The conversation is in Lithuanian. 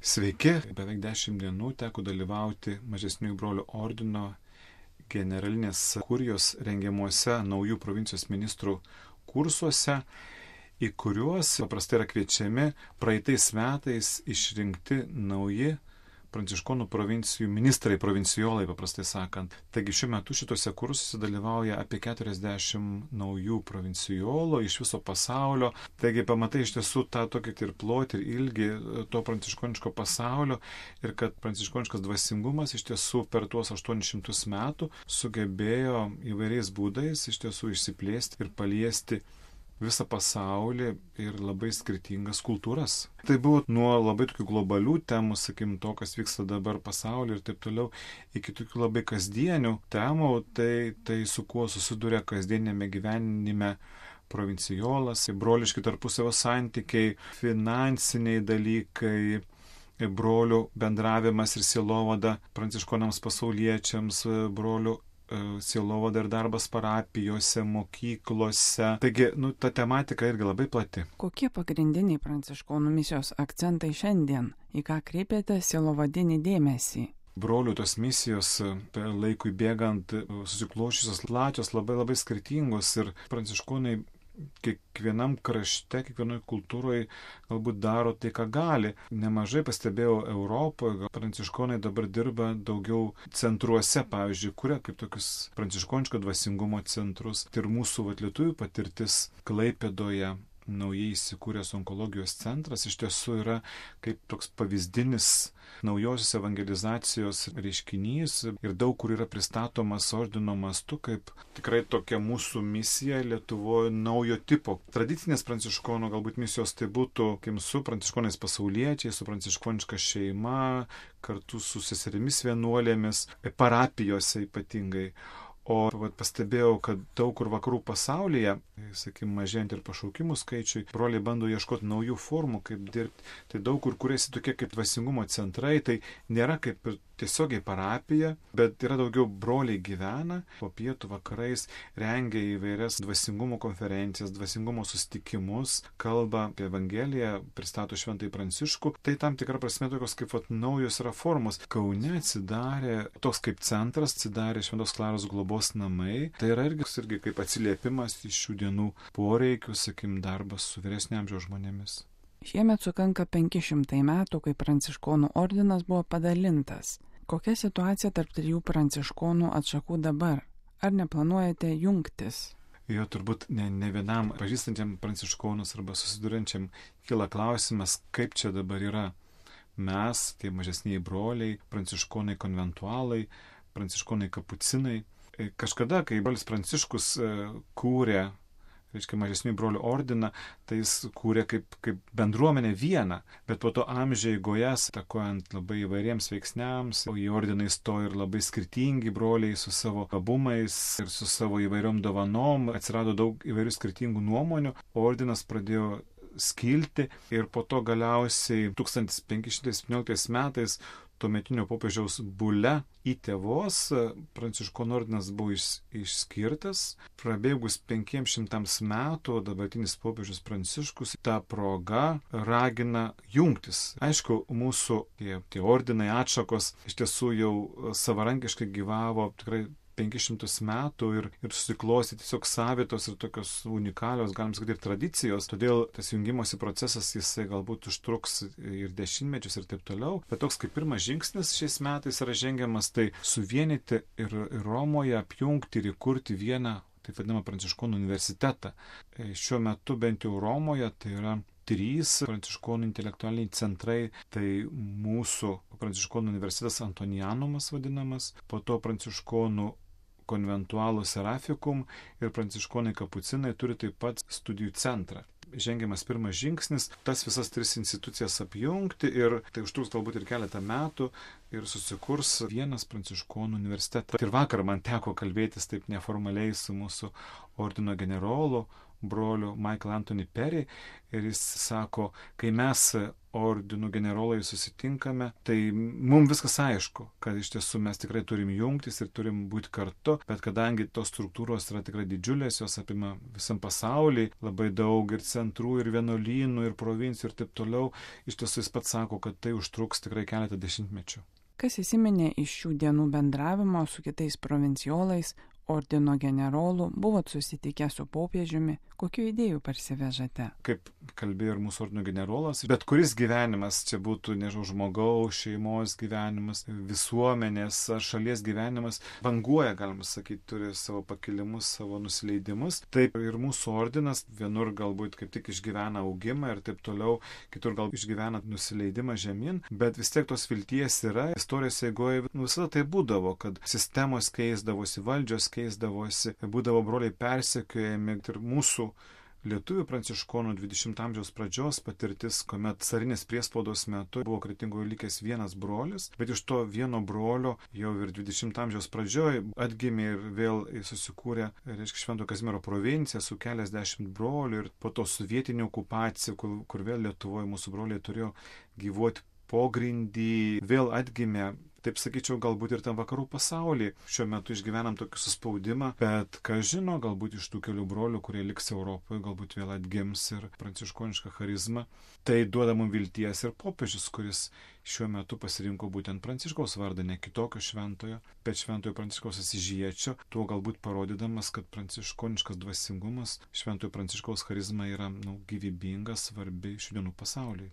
Sveiki, beveik 10 dienų teko dalyvauti Mažesniųjų brolių ordino generalinės kurijos rengiamuose naujų provincijos ministrų kursuose, į kuriuos paprastai yra kviečiami praeitais metais išrinkti nauji pranciškonų provincijų ministrai, provincijolai paprastai sakant. Taigi šiuo metu šitose kursuose dalyvauja apie 40 naujų provincijolų iš viso pasaulio. Taigi pamatai iš tiesų tą tokį ir plotį, ir ilgį to pranciškoniško pasaulio ir kad pranciškoniškas dvasingumas iš tiesų per tuos 800 metų sugebėjo įvairiais būdais iš tiesų išsiplėsti ir paliesti visą pasaulį ir labai skirtingas kultūras. Tai buvo nuo labai tokių globalių temų, sakim, to, kas vyksta dabar pasaulyje ir taip toliau, iki tokių labai kasdienių temų, tai su kuo susiduria kasdienėme gyvenime provincijolas, broliški tarpusavio santykiai, finansiniai dalykai, brolių bendravimas ir sielovada pranciškonams pasauliečiams, brolių sielovada ir darbas parapijose, mokyklose. Taigi, ta tematika irgi labai plati. Kokie pagrindiniai pranciškonų misijos akcentai šiandien? Į ką kreipiate sielovadinį dėmesį? Brolių tos misijos laikui bėgant susiklošusios plačios, labai skirtingos ir pranciškonai kiekvienam krašte, kiekvienoje kultūroje galbūt daro tai, ką gali. Nemažai pastebėjau Europoje, pranciškonai dabar dirba daugiau centruose, pavyzdžiui, kuria kaip tokius pranciškoniško dvasingumo centrus. Ir mūsų lietuvių patirtis Klaipėdoje, naujai įsikūręs onkologijos centras, iš tiesų yra kaip toks pavyzdinis naujosios evangelizacijos reiškinys ir daug kur yra pristatomas ordino mastu kaip tikrai tokia mūsų misija Lietuvoje naujo tipo. Tradicinės pranciškonų galbūt misijos tai būtų su pranciškonais pasauliečiais, su pranciškoniška šeima, kartu su seserimis vienuolėmis, parapijose ypatingai. O pastebėjau, kad daug kur vakarų pasaulyje, sakykime, mažėjant ir pašaukimų skaičiui, broliai bando ieškoti naujų formų, kaip dirbti. Tai daug kur kuriasi tokie kaip dvasingumo centrai, tai nėra kaip ir tiesiogiai parapija, bet yra daugiau broliai gyvena, po pietų vakarais rengia įvairias dvasingumo konferencijas, dvasingumo susitikimus, kalba apie Evangeliją, pristato Šventąjį Pranciškų. Tai tam tikra prasme tokios kaip naujos yra formos. Kaune atsidarė toks kaip centras, atsidarė Šventos Klaros globos namai. Tai yra irgi kaip atsiliepimas iš šių dienų poreikių, sakim, darbas su vyresnio amžiaus žmonėmis. Šiemet sukanka 500 metų, kai pranciškonų ordinas buvo padalintas. Kokia situacija tarp 3 pranciškonų atšakų dabar? Ar neplanuojate jungtis? Jo turbūt ne vienam pažįstančiam pranciškonus arba susiduriančiam kyla klausimas, kaip čia dabar yra. Mes, tie mažesniai broliai, pranciškonai konventualai, pranciškonai kapucinai. Kažkada, kai brolis Pranciškus kūrė mažesnių brolių ordiną, tai jis kūrė kaip bendruomenę vieną, bet po to amžiai eigoje, takojant labai įvairiems veiksniams, į ordiną įstojo ir labai skirtingi broliai su savo gabumais ir su savo įvairiom dovanom, atsirado daug įvairių skirtingų nuomonių, ordinas pradėjo skilti ir po to galiausiai 1517 metais tuometinio popiežiaus bule į tėvos pranciškonų ordinas buvo išskirtas. Prabėgus 500 metų dabartinis popiežius Pranciškus tą progą ragina jungtis. Aišku, mūsų tie ordinai atšakos iš tiesų jau savarankiškai gyvavo tikrai 500 metų ir susiklosti tiesiog savitos ir tokios unikalios, galim sakyti, ir tradicijos. Todėl tas jungimosi procesas jisai galbūt užtruks ir dešimtmečius ir taip toliau. Bet toks kaip pirmas žingsnis šiais metais yra žengiamas, tai suvienyti ir Romoje apjungti ir įkurti vieną, taip vadinamą pranciškonų universitetą. Šiuo metu bent jau Romoje tai yra 3 pranciškonų intelektualiniai centrai, tai mūsų pranciškonų universitetas Antonianumas vadinamas, po to pranciškonų konventualų Serafikum ir pranciškonai kapucinai turi taip pat studijų centrą. Žengiamas pirmas žingsnis, tas visas 3 institucijas apjungti ir tai užtruks galbūt ir keletą metų ir susikurs vienas pranciškonų universitetas. Ir vakar man teko kalbėtis taip neformaliai su mūsų ordino generolu, broliu Michael Anthony Perry ir jis sako, kai mes ordinų generolai susitinkame, tai mums viskas aišku, kad iš tiesų mes tikrai turim jungtis ir turim būti kartu, bet kadangi tos struktūros yra tikrai didžiulės, jos apima visam pasaulį, labai daug ir centrų, ir vienuolynų, ir provincijų ir taip toliau, iš tiesų jis pats sako, kad tai užtruks tikrai keletą dešimtmečių. Kas įsiminė iš šių dienų bendravimo su kitais provincijolais, ordino generolų, buvot susitikę su popiežiumi, kokių idėjų parsivežate? Kaip kalbėjo ir mūsų ordino generolas, bet kuris gyvenimas, čia būtų, nežinau, žmogaus, šeimos gyvenimas, visuomenės ar šalies gyvenimas, banguoja, galima sakyti, turi savo pakilimus, savo nusileidimus. Taip ir mūsų ordinas vienur galbūt kaip tik išgyvena augimą ir taip toliau, kitur gal išgyvena nusileidimą žemyn, bet vis tiek tos vilties yra. Istorijos eigoje visada tai būdavo, kad sistemos keisdavosi, valdžios keisdavosi, būdavo broliai persekiojami ir mūsų lietuvių pranciškonų 20 amžiaus pradžios patirtis, kuomet carinės priespaudos metu buvo Kretingoje likęs vienas brolis, bet iš to vieno brolio jau ir 20 amžiaus pradžioj atgimė ir vėl susikūrė, reiškia, Švento Kazimiero provincija su keliasdešimt brolių ir po to sovietinė okupacija, kur vėl Lietuvoje mūsų broliai turėjo gyvuoti pogrindį, vėl atgimė. Taip sakyčiau, galbūt ir tam vakarų pasaulyje šiuo metu išgyvenam tokį suspaudimą, bet kas žino, galbūt iš tų kelių brolių, kurie liks Europoje, galbūt vėl atgims ir pranciškoniška charizma. Tai duoda mums vilties ir popiežius, kuris šiuo metu pasirinko būtent Pranciškaus vardą, ne kitokio šventojo, bet šventojo Pranciškaus Asyžiečio, tuo galbūt parodydamas, kad pranciškoniškas dvasingumas, šventojo Pranciškaus charizma yra gyvybinga, svarbi šių dienų pasauliui.